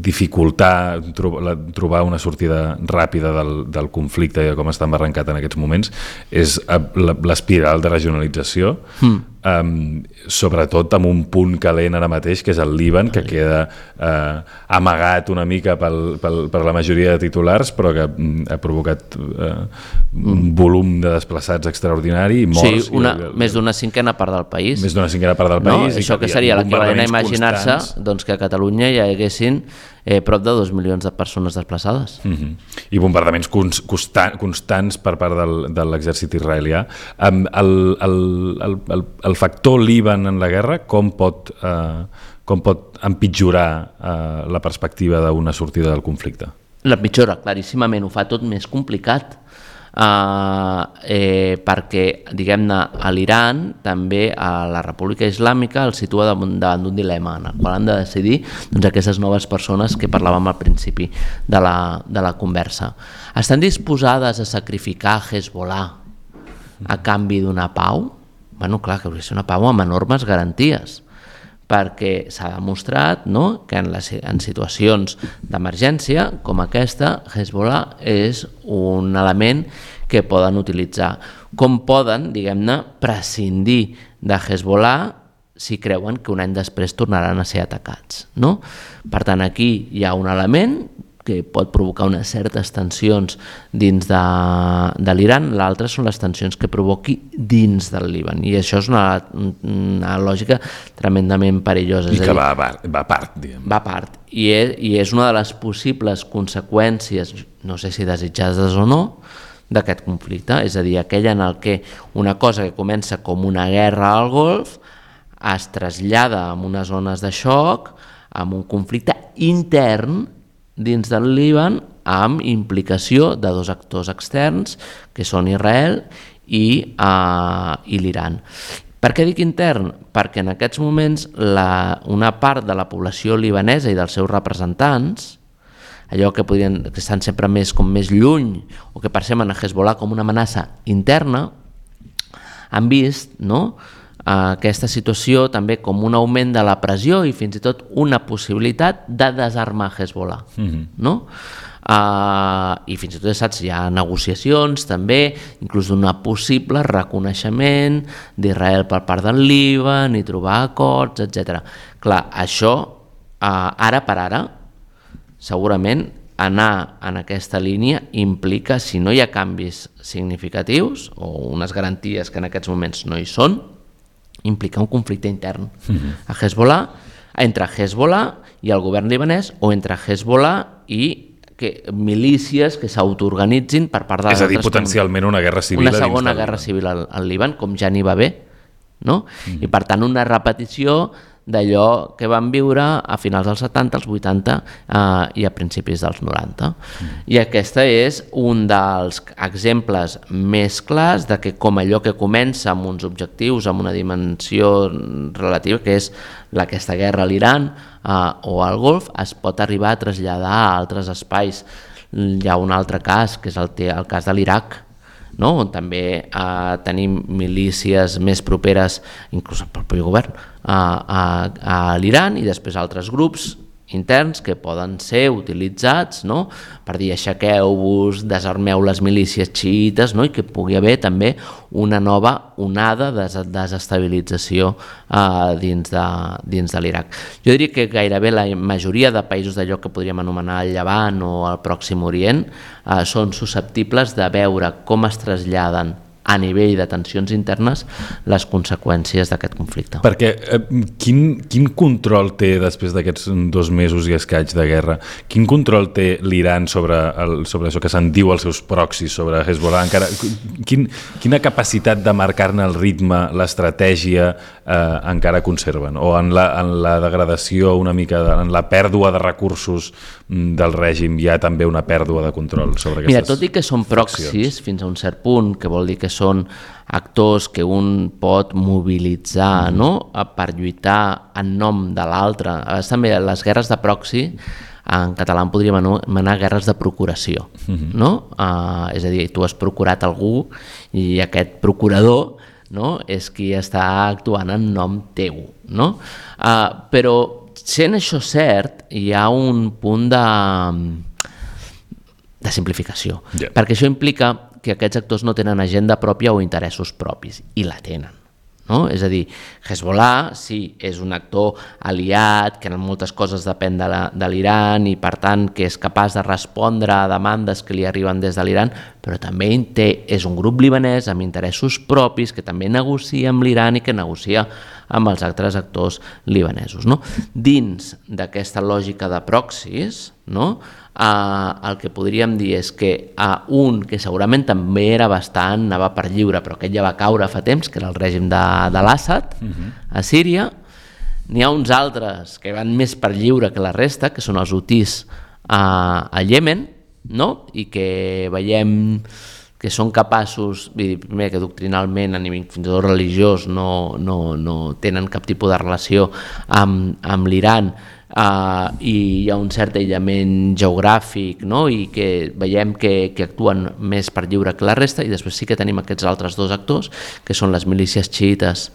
dificultar trobar una sortida ràpida del conflicte i com està embarrancat en aquests moments és l'espiral de regionalització, sobretot amb un punt calent ara mateix, que és el Líban, que queda amagat una mica per la majoria de titulars, però que ha provocat un volum de desplaçats extraordinari i morts. Sí, més d'una cinquena part del país. Més d'una cinquena part del país. Això que seria l'equivalent a imaginar-se doncs, que a Catalunya hi haguessin prop de 2 milions de persones desplaçades. I bombardaments constants per part de l'exèrcit israelià. El factor Líban en la guerra, com pot empitjorar la perspectiva d'una sortida del conflicte? L'empitjora, claríssimament, ho fa tot més complicat. Perquè, diguem-ne, a l'Iran, també a la República Islàmica el situa davant d'un dilema en el qual han de decidir doncs, aquestes noves persones que parlàvem al principi de la conversa. Estan disposades a sacrificar Hezbollah a canvi d'una pau? Bueno, clar, que hauria de ser una pau amb enormes garanties, perquè s'ha demostrat, no?, que en situacions d'emergència com aquesta, Hezbollah és un element que poden utilitzar. Com poden, diguem-ne, prescindir de Hezbollah si creuen que un any després tornaran a ser atacats, no? Per tant, aquí hi ha un element que pot provocar unes certes tensions dins de l'Iran, l'altre són les tensions que provoqui dins del Líban, i això és una lògica tremendament perillosa. I que va a part, diguem. Va a part, i és una de les possibles conseqüències, no sé si desitjades o no, d'aquest conflicte, és a dir, aquell en el que una cosa que comença com una guerra al Golf es trasllada en unes zones de xoc, amb un conflicte intern dins del Líban amb implicació de dos actors externs que són Israel i l'Iran. Per què dic intern? Perquè en aquests moments una part de la població libanesa i dels seus representants, allò que estan sempre més lluny o que perceben a Hezbollah com una amenaça interna, han vist, no?, aquesta situació també com un augment de la pressió i fins i tot una possibilitat de desarmar Hezbollah, no? I fins i tot, saps, hi ha negociacions també, inclús d'una possible reconeixement d'Israel per part del Líban i trobar acords, etc. Clar, això, ara per ara, segurament anar en aquesta línia implica, si no hi ha canvis significatius o unes garanties que en aquests moments no hi són, implica un conflicte intern a Hezbollah, entre Hezbollah i el govern libanès o entre Hezbollah i milícies que s'autoorganitzin per part de... És a dir, potencialment una guerra civil. Una segona guerra civil al Líban, com ja n'hi va haver, no? I per tant una repetició d'allò que van viure a finals dels 70, als 80 i a principis dels 90. I aquesta és un dels exemples més clars de que com allò que comença amb uns objectius, amb una dimensió relativa, que és aquesta guerra a l'Iran o al Golf, es pot arribar a traslladar a altres espais. Hi ha un altre cas, que és el cas de l'Iraq, no? On també tenim milícies més properes, inclús al propi govern, a l'Iran, i després altres grups interns que poden ser utilitzats, no? Per dir aixequeu-vos, desarmeu les milícies xiites, no? I que pugui haver també una nova onada de desestabilització dins de l'Iraq. Jo diria que gairebé la majoria de països d'allò que podríem anomenar el Llevant o el Pròxim Orient són susceptibles de veure com es traslladen a nivell de tensions internes les conseqüències d'aquest conflicte. Perquè quin control té, després d'aquests 2 mesos i escaig de guerra, quin control té l'Iran sobre això que se'n diu els seus proxis, sobre Hezbollah? Quina capacitat de marcar-ne el ritme, l'estratègia encara conserven? O en la degradació una mica, en la pèrdua de recursos del règim hi ha també una pèrdua de control sobre aquestes... Mira, tot i que són proxis fins a un cert punt, que vol dir que són actors que un pot mobilitzar, no? Per lluitar en nom de l'altre. També les guerres de proxy, en català en podríem anomenar guerres de procuració, no? És a dir, tu has procurat algú i aquest procurador, no? És qui està actuant en nom teu, no? Però sent això cert, hi ha un punt de simplificació, perquè això implica que aquests actors no tenen agenda pròpia o interessos propis, i la tenen. No? És a dir, Hezbollah sí, és un actor aliat, que en moltes coses depèn de l'Iran i per tant que és capaç de respondre a demandes que li arriben des de l'Iran, però també és un grup libanès amb interessos propis que també negocia amb l'Iran i que negocia amb els altres actors libanesos. No? Dins d'aquesta lògica de proxis, no? El que podríem dir és que un que segurament també era bastant, anava per lliure, però aquest ja va caure fa temps, que era el règim de l'Assad a Síria. N'hi ha uns altres que van més per lliure que la resta, que són els hutís a Iemen, no? I que veiem que són capaços, primer que doctrinalment a nivell fins i tot religiós no tenen cap tipus de relació amb l'Iran, i hi ha un cert aïllament geogràfic, no? I que veiem que actuen més per lliure que la resta, i després sí que tenim aquests altres 2 actors, que són les milícies xiites,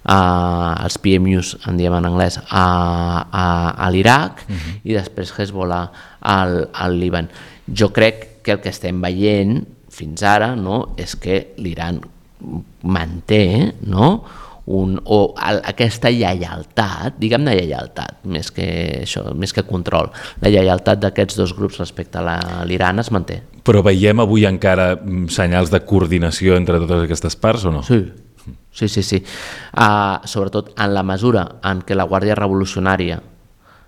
els PMUs en diem en anglès, a l'Iraq, i després Hezbollah al Líban. Jo crec que el que estem veient fins ara, no, és que l'Iran manté, no, aquesta lleialtat, diguem-ne lleialtat, més que control, la lleialtat d'aquests 2 grups respecte a l'Iran es manté. Però veiem avui encara senyals de coordinació entre totes aquestes parts o no? Sí. Sobretot en la mesura en què la Guàrdia Revolucionària,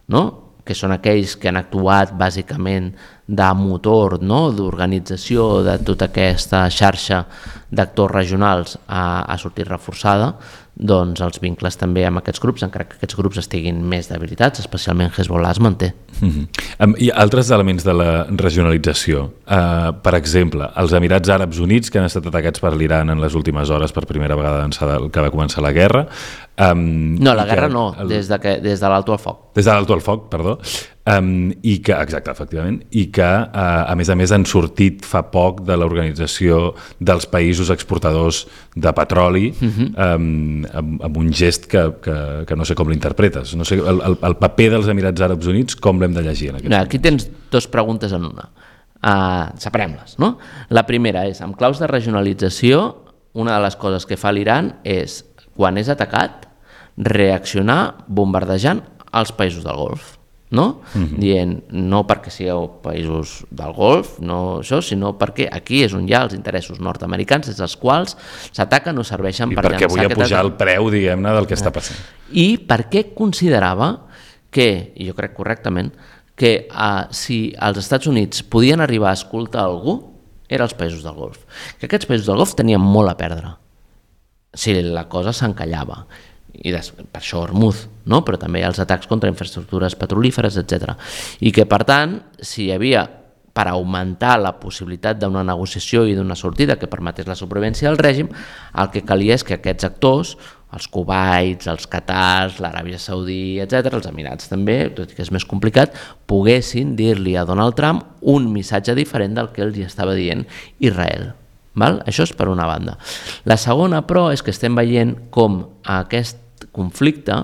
no?, que són aquells que han actuat bàsicament de motor, no?, d'organització de tota aquesta xarxa d'actors regionals, ha sortit reforçada, doncs els vincles també amb aquests grups, encara que aquests grups estiguin més debilitats, especialment Hezbollah, es manté. Hi ha altres elements de la regionalització. Per exemple, els Emirats Àrabs Units, que han estat atacats per l'Iran en les últimes hores per primera vegada que va començar la guerra. No, la guerra no, des de l'alto al foc. Des de l'alto al foc, perdó. Exacte, efectivament, i que a més han sortit fa poc de l'organització dels països exportadors de petroli, amb un gest que no sé com l'interpretes. No sé, el paper dels Emirats Àrabs Units, com l'hem de llegir en aquest moment? Aquí tens 2 preguntes en una. Separem-les, no? La primera és, amb claus de regionalització, una de les coses que fa l'Iran és, quan és atacat, reaccionar bombardejant els països del Golf. No? Dient, no perquè sigueu països del Golf, no això, sinó perquè aquí és on hi ha els interessos nord-americans, des dels quals s'ataquen o serveixen per llançar... I perquè vull pujar el preu, diguem-ne, del que està passant. I perquè considerava que, i jo crec correctament, que si els Estats Units podien arribar a escoltar algú, eren els països del Golf. Que aquests països del Golf tenien molt a perdre si la cosa s'encallava. i per això Hormuz, no? Però també hi ha els atacs contra infraestructures petrolíferes, etc. I que, per tant, si hi havia, per augmentar la possibilitat d'una negociació i d'una sortida que permetés la supervivència del règim, el que calia és que aquests actors, els Kuwaits, els Qatars, l'Aràbia Saudí, etc., els Emirats també, tot i que és més complicat, poguessin dir-li a Donald Trump un missatge diferent del que els estava dient Israel. Val? Això és per una banda. La segona, però, és que estem veient com aquest conflicte,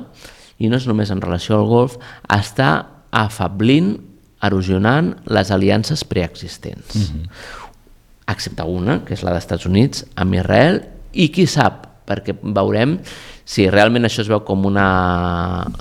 i no és només en relació al Golf, està afablint, erosionant les aliances preexistents. Excepte una, que és la dels Estats Units, amb Israel, i qui sap, perquè veurem si realment això es veu com una,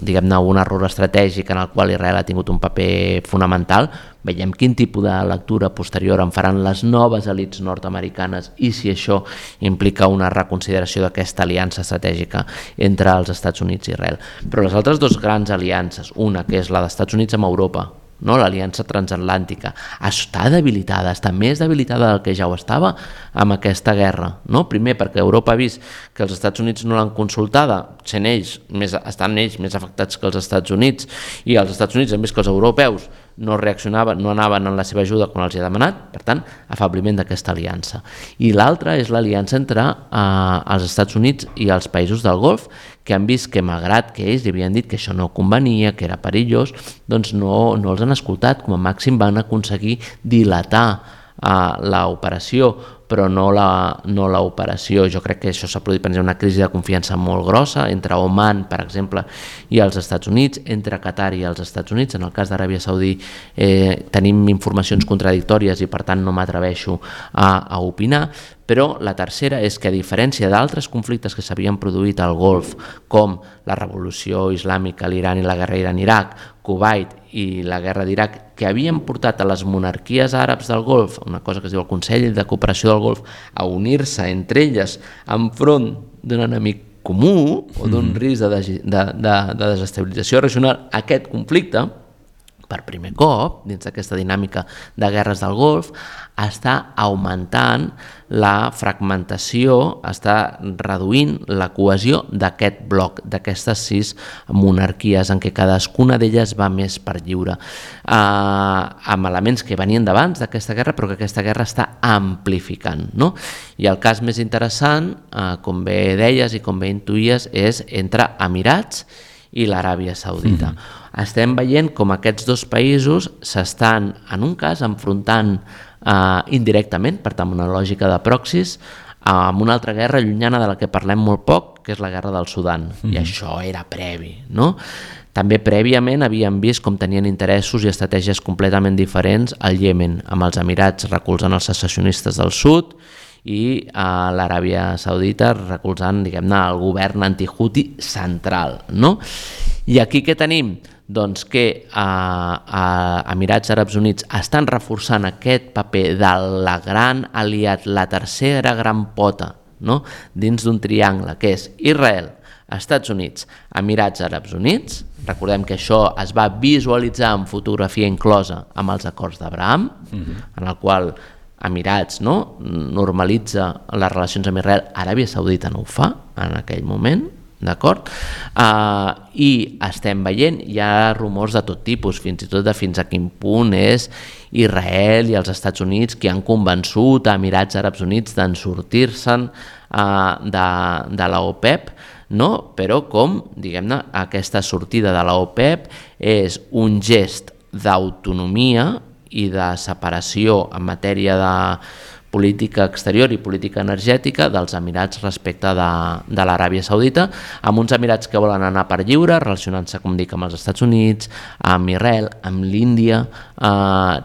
diguem-ne, un error estratègic en el qual Israel ha tingut un paper fonamental. Veiem quin tipus de lectura posterior en faran les noves elits nord-americanes i si això implica una reconsideració d'aquesta aliança estratègica entre els Estats Units i Israel. Però les altres dues grans aliances, una que és la dels Estats Units amb Europa, no? L'aliança transatlàntica, està debilitada, està més debilitada del que ja ho estava amb aquesta guerra, no? Primer perquè Europa ha vist que els Estats Units no l'han consultada, estan ells més afectats que els Estats Units, i els Estats Units han vist que els europeus no reaccionaven, no anaven en la seva ajuda quan els hi ha demanat, per tant, afabliment d'aquesta aliança. I l'altra és l'aliança entre els Estats Units i els països del Golf, que han vist que malgrat que ells li havien dit que això no convenia, que era perillós, doncs no els han escoltat, com a màxim van aconseguir dilatar l'operació, però no l'operació. Jo crec que això s'ha produït per una crisi de confiança molt grossa entre Oman, per exemple, i els Estats Units, entre Qatar i els Estats Units. En el cas d'Aràbia Saudí tenim informacions contradictòries i per tant no m'atreveixo a opinar, però la tercera és que a diferència d'altres conflictes que s'havien produït al Golf, com la revolució islàmica a l'Iran i la guerra Iran-Iraq, Kuwait i la guerra d'Iraq, que havien portat a les monarquies àrabs del Golf, una cosa que es diu el Consell de Cooperació del Golf, a unir-se entre elles enfront d'un enemic comú o d'un risc de desestabilització regional, aquest conflicte, per primer cop, dins d'aquesta dinàmica de guerres del Golf, està augmentant la fragmentació, està reduint la cohesió d'aquest bloc, d'aquestes 6 monarquies, en què cadascuna d'elles va més per lliure, amb elements que venien d'abans d'aquesta guerra, però que aquesta guerra està amplificant, no? I el cas més interessant, com bé deies i com bé intuïes, és entre Emirats i l'Aràbia Saudita. Estem veient com aquests dos països s'estan, en un cas, enfrontant indirectament, per tant, una lògica de proxys, amb una altra guerra llunyana de la que parlem molt poc, que és la guerra del Sudan. I això era previ, no? També prèviament havíem vist com tenien interessos i estratègies completament diferents al Iemen, amb els Emirats recolzant els secessionistes del sud i a l'Aràbia Saudita recolzant, diguem-ne, el govern anti-Houthi central, no? I aquí què tenim? Doncs que Emirats Àrabs Units estan reforçant aquest paper de la gran aliat, la tercera gran pota, no? Dins d'un triangle que és Israel, Estats Units, Emirats Àrabs Units. Recordem que això es va visualitzar en fotografia inclosa amb els acords d'Abraham, en el qual Emirats normalitza les relacions amb Israel, Aràbia Saudita no ho fa en aquell moment, d'acord? I estem veient, hi ha rumors de tot tipus, fins i tot de fins a quin punt és Israel i els Estats Units qui han convençut a Emirats Àrabs Units d'en sortir-se'n de la OPEP, no? Però com, diguem-ne, aquesta sortida de la OPEP és un gest d'autonomia i de separació en matèria de política exterior i política energètica dels Emirats respecte de l'Aràbia Saudita, amb uns Emirats que volen anar per lliure, relacionant-se, com dic, amb els Estats Units, amb Israel, amb l'Índia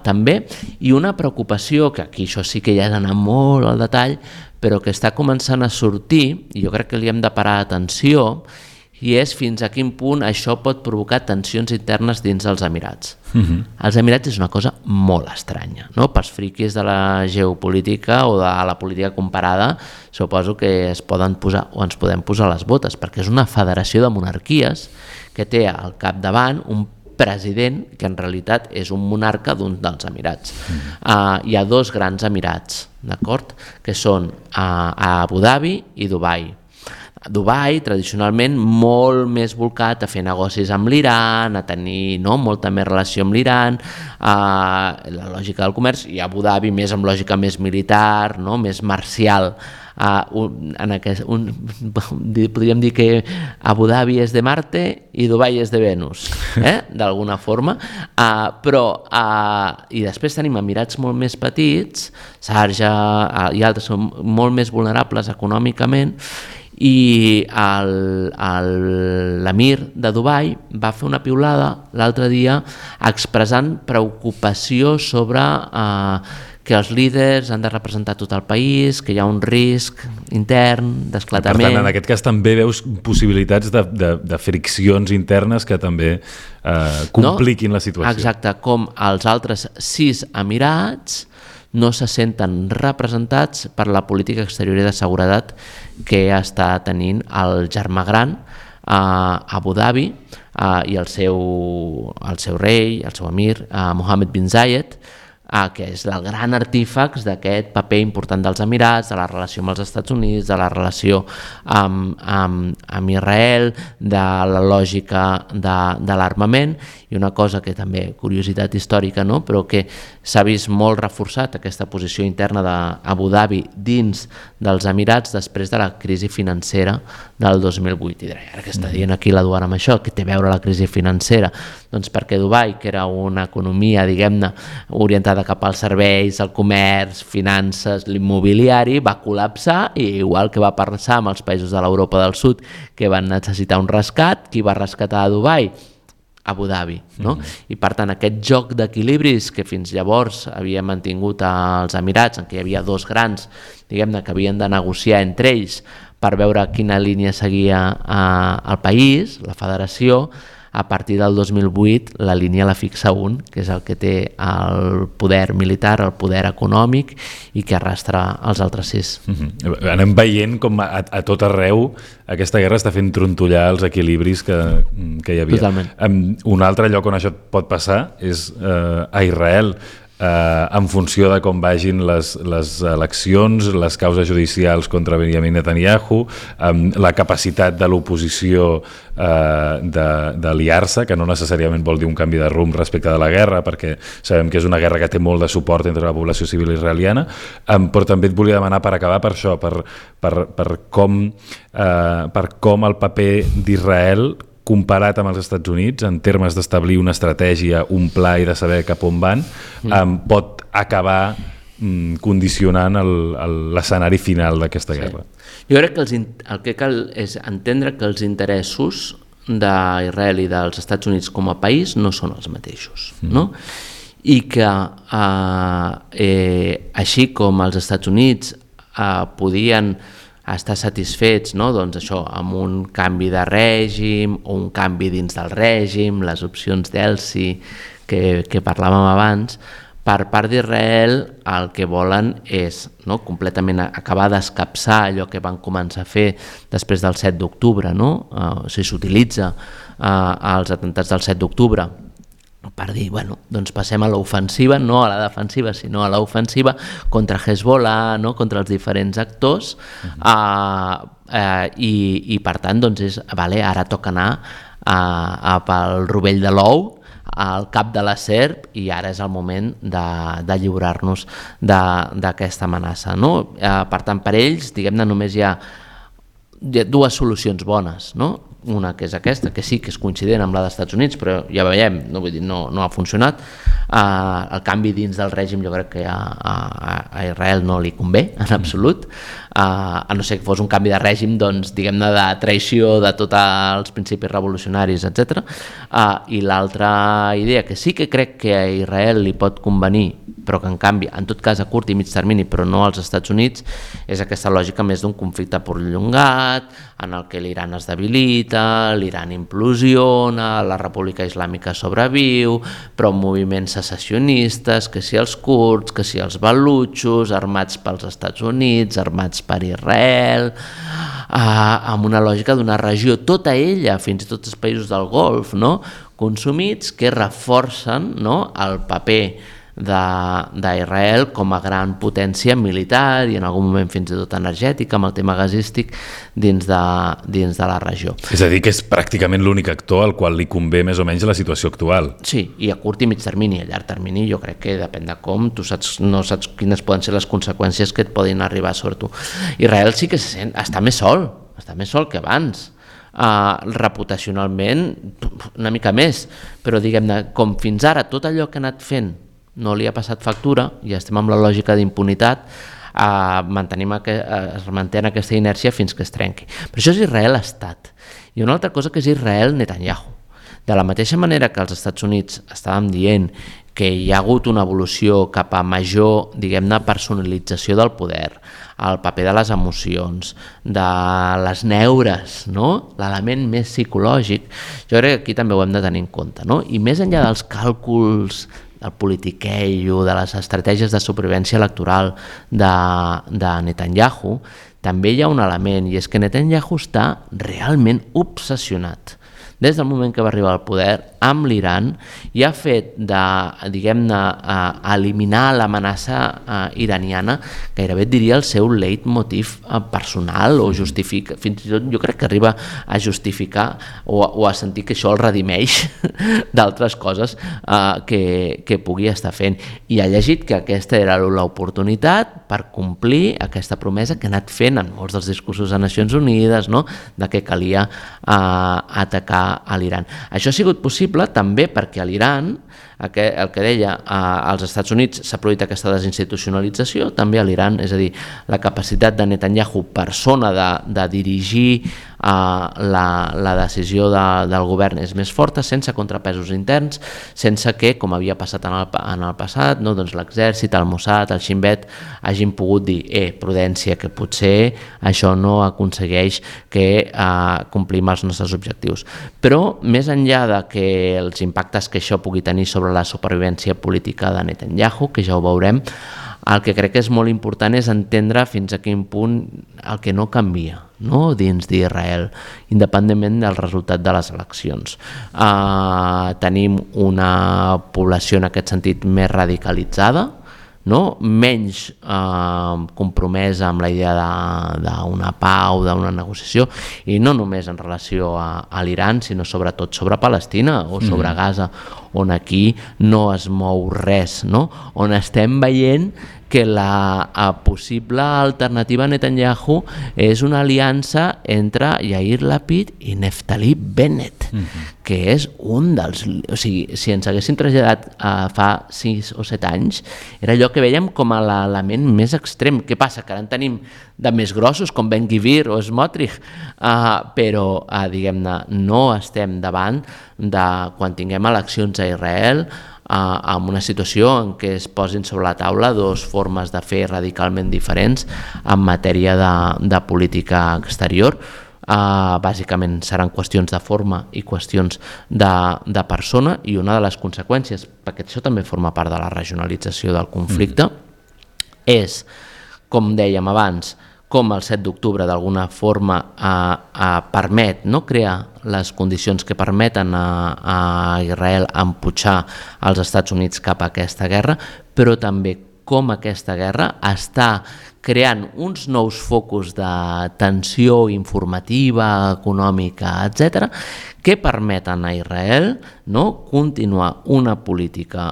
també, i una preocupació, que aquí això sí que ja és anar molt al detall, però que està començant a sortir, i jo crec que li hem de parar atenció, i és fins a quin punt això pot provocar tensions internes dins dels Emirats. Els Emirats és una cosa molt estranya, no? Pels friquis de la geopolítica o de la política comparada, suposo que es poden posar o ens podem posar les botes, perquè és una federació de monarquies que té al capdavant un president que en realitat és un monarca d'un dels Emirats. Hi ha 2 grans Emirats, d'acord? Que són a Abu Dhabi i Dubai. Dubai, tradicionalment, molt més volcat a fer negocis amb l'Iran, a tenir molta més relació amb l'Iran, la lògica del comerç, i Abu Dhabi més amb lògica més militar, més marcial. Podríem dir que Abu Dhabi és de Marte i Dubai és de Venus, d'alguna forma, i després tenim emirats molt més petits, Sharjah i altres són molt més vulnerables econòmicament, i l'emir de Dubai va fer una piulada l'altre dia expressant preocupació sobre que els líders han de representar tot el país, que hi ha un risc intern d'esclatament. Per tant, en aquest cas també veus possibilitats de friccions internes que també compliquin la situació. Exacte, com els altres 6 emirats no se senten representats per la política exterior i de seguretat que està tenint el germà gran a Abu Dhabi i el seu rei, el seu emir, Mohammed bin Zayed, que és el gran artífex d'aquest paper important dels Emirats, de la relació amb els Estats Units, de la relació amb Israel, de la lògica de l'armament, i una cosa que també, curiositat històrica, però que s'ha vist molt reforçat aquesta posició interna d'Abu Dhabi dins dels Emirats després de la crisi financera del 2008. I diré, ara que està dient aquí la Duana amb això, què té a veure la crisi financera? Doncs perquè Dubai, que era una economia, diguem-ne, orientada cap als serveis, al comerç, finances, l'immobiliari, va col·lapsar, i igual que va passar amb els països de l'Europa del Sud que van necessitar un rescat, qui va rescatar a Dubai? Abu Dhabi, I per tant aquest joc d'equilibris que fins llavors havia mantingut els Emirats, en què hi havia 2 grans, diguem-ne, que havien de negociar entre ells per veure quina línia seguia el país, la federació, a partir del 2008 la línia la fixa un, que és el que té el poder militar, el poder econòmic i que arrastra els altres 6. Anem veient com a tot arreu aquesta guerra està fent trontollar els equilibris que hi havia. Totalment. Un altre lloc on això pot passar és a Israel. En funció de com vagin les eleccions, les causes judicials contra Benjamin Netanyahu, la capacitat de l'oposició d'aliar-se, que no necessàriament vol dir un canvi de rumb respecte de la guerra, perquè sabem que és una guerra que té molt de suport entre la població civil israeliana, però també et volia demanar, per acabar, per això, per com el paper d'Israel comparat amb els Estats Units, en termes d'establir una estratègia, un pla i de saber cap on van, pot acabar condicionant l'escenari final d'aquesta guerra. Jo crec que el que cal és entendre que els interessos d'Israel i dels Estats Units com a país no són els mateixos, i que així com els Estats Units podien estar satisfets, doncs això, amb un canvi de règim o un canvi dins del règim, les opcions d'Elsi que parlàvem abans, per part d'Israel el que volen és completament acabar d'escapçar allò que van començar a fer després del 7 d'octubre, o sigui, s'utilitza els atemptats del 7 d'octubre per dir, doncs passem a l'ofensiva, no a la defensiva, sinó a l'ofensiva contra Hezbollah, contra els diferents actors, i per tant, doncs ara toca anar pel rovell de l'ou, al cap de la serp, i ara és el moment de lliurar-nos d'aquesta amenaça. Per tant, per ells, diguem-ne, només hi ha 2 solucions bones, una que és aquesta, que sí que és coincident amb la dels Estats Units, però ja veiem, no ha funcionat. El canvi dins del règim jo crec que a Israel no li convé en absolut, a no ser que fos un canvi de règim, doncs, diguem-ne, de traïció de tots els principis revolucionaris, etc. I l'altra idea, que sí que crec que a Israel li pot convenir, però que en canvi, en tot cas a curt i mig termini, però no als Estats Units, és aquesta lògica més d'un conflicte prolongat, en el que l'Iran es debilita, l'Iran implosiona, la República Islàmica sobreviu, però moviments secessionistes, que si els kurds, que si els balutxos, armats pels Estats Units, armats per Israel, amb una lògica d'una regió, tota ella, fins i tot els països del Golf, consumits, que reforcen el paper d'Israel com a gran potència militar i en algun moment fins i tot energètica amb el tema gasístic dins de la regió. És a dir, que és pràcticament l'únic actor al qual li convé més o menys la situació actual. Sí, i a curt i mig termini. A llarg termini jo crec que depèn de com, no saps quines poden ser les conseqüències que et poden arribar sobre tu. Israel sí que està més sol que abans. Reputacionalment una mica més, però diguem-ne, com fins ara tot allò que ha anat fent no li ha passat factura i estem amb la lògica d'impunitat, es manté aquesta inèrcia fins que es trenqui. Però això és Israel-Estat. I una altra cosa que és Israel-Netanyahu. De la mateixa manera que als Estats Units estàvem dient que hi ha hagut una evolució cap a major, diguem-ne, personalització del poder, el paper de les emocions, de les neures, no? L'element més psicològic, jo crec que aquí també ho hem de tenir en compte, no? I més enllà dels càlculs del politiqueig o de les estratègies de supervivència electoral de Netanyahu, també hi ha un element, i és que Netanyahu està realment obsessionat des del moment que va arribar al poder amb l'Iran i ha fet de, diguem-ne, eliminar l'amenaça iraniana, gairebé diria el seu leitmotiv personal o justifica, fins i tot jo crec que arriba a justificar o a sentir que això el redimeix d'altres coses que pugui estar fent. I ha llegit que aquesta era l'oportunitat per complir aquesta promesa que ha anat fent en molts dels discursos de Nacions Unides, no? De que calia atacar a l'Iran. Això ha sigut possible també perquè a l'Iran, el que deia, als Estats Units s'ha produït aquesta desinstitucionalització, també a l'Iran, és a dir, la capacitat de Netanyahu persona de dirigir la decisió del govern és més forta, sense contrapesos interns, sense que, com havia passat en el passat, no, doncs l'exèrcit, el Mossad, el Shin Bet hagin pogut dir, prudència, que potser això no aconsegueix que complim els nostres objectius. Però més enllà de que els impactes que això pugui tenir sobre la supervivència política de Netanyahu, que ja ho veurem, el que crec que és molt important és entendre fins a quin punt el que no canvia, no? Dins d'Israel, independentment del resultat de les eleccions. Tenim una població en aquest sentit més radicalitzada, no? Menys compromesa amb la idea d'una pau, d'una negociació, i no només en relació a l'Iran, sinó sobretot sobre Palestina o sobre Gaza, on aquí no es mou res, no? On estem veient que la possible alternativa a Netanyahu és una aliança entre Yair Lapid i Naftali Bennett, que és un dels... O sigui, si ens haguéssim traslladat fa 6 o 7 anys, era allò que veiem com a l'element més extrem. Què passa? Que ara en tenim de més grossos, com Ben Gvir o Smotrich, però, diguem-ne, no estem davant de quan tinguem eleccions a Israel, amb una situació en què es posin sobre la taula dues formes de fer radicalment diferents en matèria de política exterior. Bàsicament seran qüestions de forma i qüestions de persona, i una de les conseqüències, perquè això també forma part de la regionalització del conflicte, és, com dèiem abans, com el 7 d'octubre d'alguna forma permet, no, crear les condicions que permeten a Israel emputxar els Estats Units cap a aquesta guerra, però també com aquesta guerra està creant uns nous focus de tensió informativa, econòmica, etc., que permeten a Israel, no, continuar una política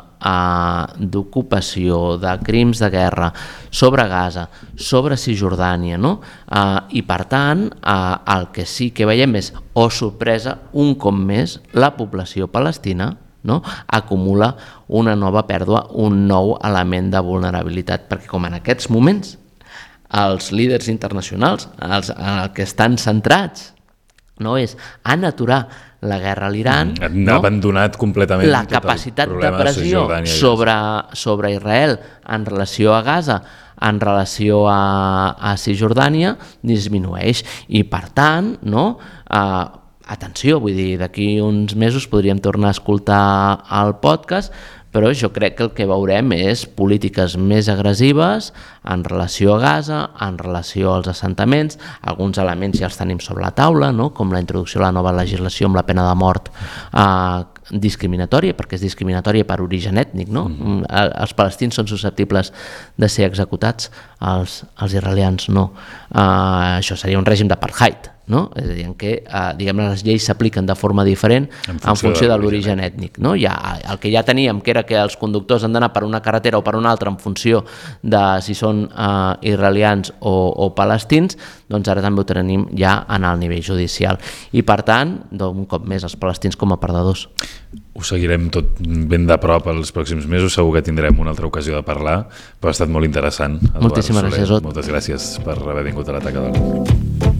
d'ocupació, de crims de guerra sobre Gaza, sobre Cisjordània, no? I per tant el que sí que veiem és, sorpresa, un cop més la població palestina, no, acumula una nova pèrdua, un nou element de vulnerabilitat, perquè com en aquests moments els líders internacionals en el que estan centrats no és en aturar la guerra a l'Iran, han abandonat completament la capacitat de pressió sobre Israel en relació a Gaza, en relació a Cisjordània, disminueix, i per tant, no, atenció, vull dir, d'aquí uns mesos podríem tornar a escoltar el podcast, però jo crec que el que veurem és polítiques més agressives en relació a Gaza, en relació als assentaments. Alguns elements ja els tenim sobre la taula, no? Com la introducció de la nova legislació amb la pena de mort discriminatòria, perquè és discriminatòria per origen ètnic, no? Els palestins són susceptibles de ser executats, els israelians no. Això seria un règim d'apartheid, no? És a dir, en què les lleis s'apliquen de forma diferent en funció de l'origen ètnic, no? El que ja teníem, que era que els conductors han d'anar per una carretera o per una altra en funció de si són israelians o palestins, doncs ara també ho tenim ja en el nivell judicial. I per tant, un cop més, els palestins com a perdedors. Ho seguirem tot ben de prop els pròxims mesos, segur que tindrem una altra ocasió de parlar, però ha estat molt interessant. Moltíssimes gràcies, Ot. Moltes gràcies per haver vingut a la Taca del Món.